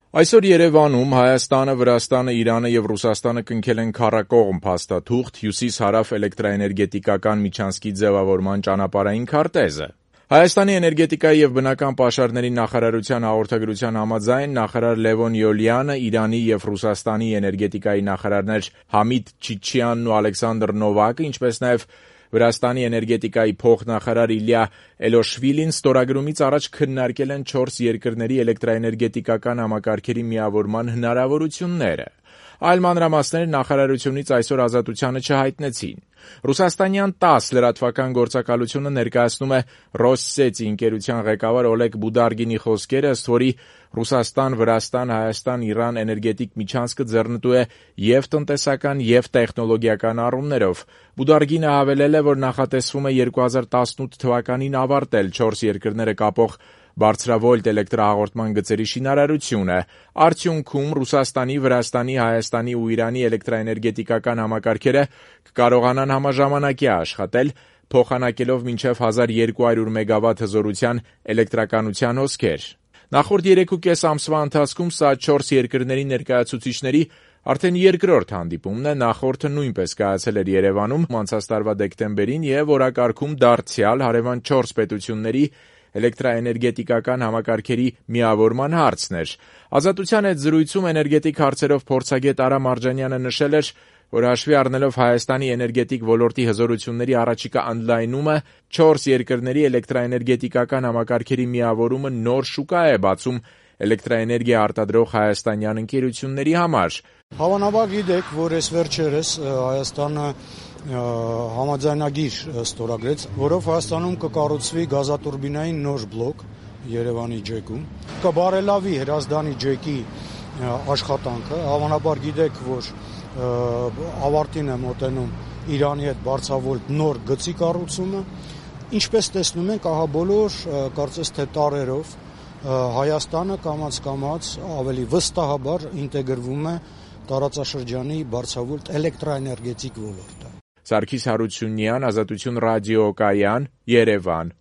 Այսօր Երևանում Հայաստանը, Վրաստանը, Իրանը և Ռուսաստանը կնքել են քառակողմ փաստաթուղթ հյուսիս-հարավ էլեկտրաէներգետիկական միջանցքի ձևավորման ճանապարհային քարտեզը։ Հայաստանի էներգետիկայի և բնական պաշարների նախարարության հաղորդագրության համաձայն նախարար Լևոն Յոլյանը, Իրանի և Ռուսաստանի էներգետիկայի նախարարներ Համիդ Չիչյանն ու Ալեքսանդր Նովակը, ինչպես նաև Վրաստանի էներգետիկայի փոխնախարար Իլյա Էլոշվիլին ստորագրումից առաջ քննարկել են 4 երկրների էլեկտրաէներգետիկական համակարգերի միավորման հնարավորությունները։ Այլ մանրամասներ նախարարությունից այսօր Ազատությանը չհայտնեցին։ Ռուսաստանյան ՏԱՍՍ լրատվական գործակալությունը ներկայացնում է «Ռոսսեթի» ընկերության ղեկավար Օլեգ Բուդարգինի խոսքերը, ըստ որի Ռուսաստան, Վրաստան, Հայաստան, Իրան էներգետիկ միջանցքը ձեռնտու է և տնտեսական, և տեխնոլոգիական առումներով։ Բուդարգինը հավելել է, որ նախատեսվում է 2018 թվականին ավարտել 4 երկրները կապող բարձրավոլտ էլեկտրահաղորդման գծերի շինարարությունը։ Արդյունքում Ռուսաստանի, Վրաստանի, Հայաստանի ու Իրանի էլեկտրաէներգետիկական համակարգերը կկարողանան համաժամանակյա աշխատել, փոխանակելով մինչև 1200 մեգավատ հզորության էլեկտրականության հոսքեր։ Նախորդ 3,5 ամսվա ընթացքում սա 4 երկրների ներկայացուցիչների արդեն երկրորդ հանդիպումն է, նախորդը նույնպես կայացել էր Երևանում անցած տարվա դեկտեմբերին և օրակարգում դարձյալ հարևան 4 պետությունների էլեկտրաէներգետիկական համակարգերի միավորման հարցն էր։ Ազատության հետ զրույցում էներգետիկ հարցերով փորձագետ Արա Մարջանյանը նշել էր, որ հաշվի առնելով Հայաստանի էներգետիկ ոլորտի հզորությունների առաջիկա ընդլայնումը, 4 երկրների էլեկտրաէներգետիկական համակարգերի միավորումը նոր շուկա է բացում էլեկտրաէներգիա արտադրող հայաստանյան ընկերությունների համար։ Հավանաբար գիտեք, որ այս վերջերս Հայաստանը համաձայնագիր ստորագրեց, որով Հայաստանում կկառուցվի գազատուրբինային նոր բլոկ Երևանի ջեկում, կբարելավի Հրազդանի ջեկի աշխատանքը։ Հավանաբար գիտեք, որ ավարտին է մոտենում Իրանի հետ բարձրավոլտ նոր գծի կառուցումը։ Ինչպես տեսնում ենք, ահա բոլոր կարծես թե տարերով Հայաստանը կամաց-կամաց ավելի վստահաբար ինտեգրվում է տարածաշրջանի բարձրավոլտ էլեկտրաէներգետիկ ոլորտը։ Սարգիս Հարությունյան, Ազատություն ռադիոկայան, Երևան։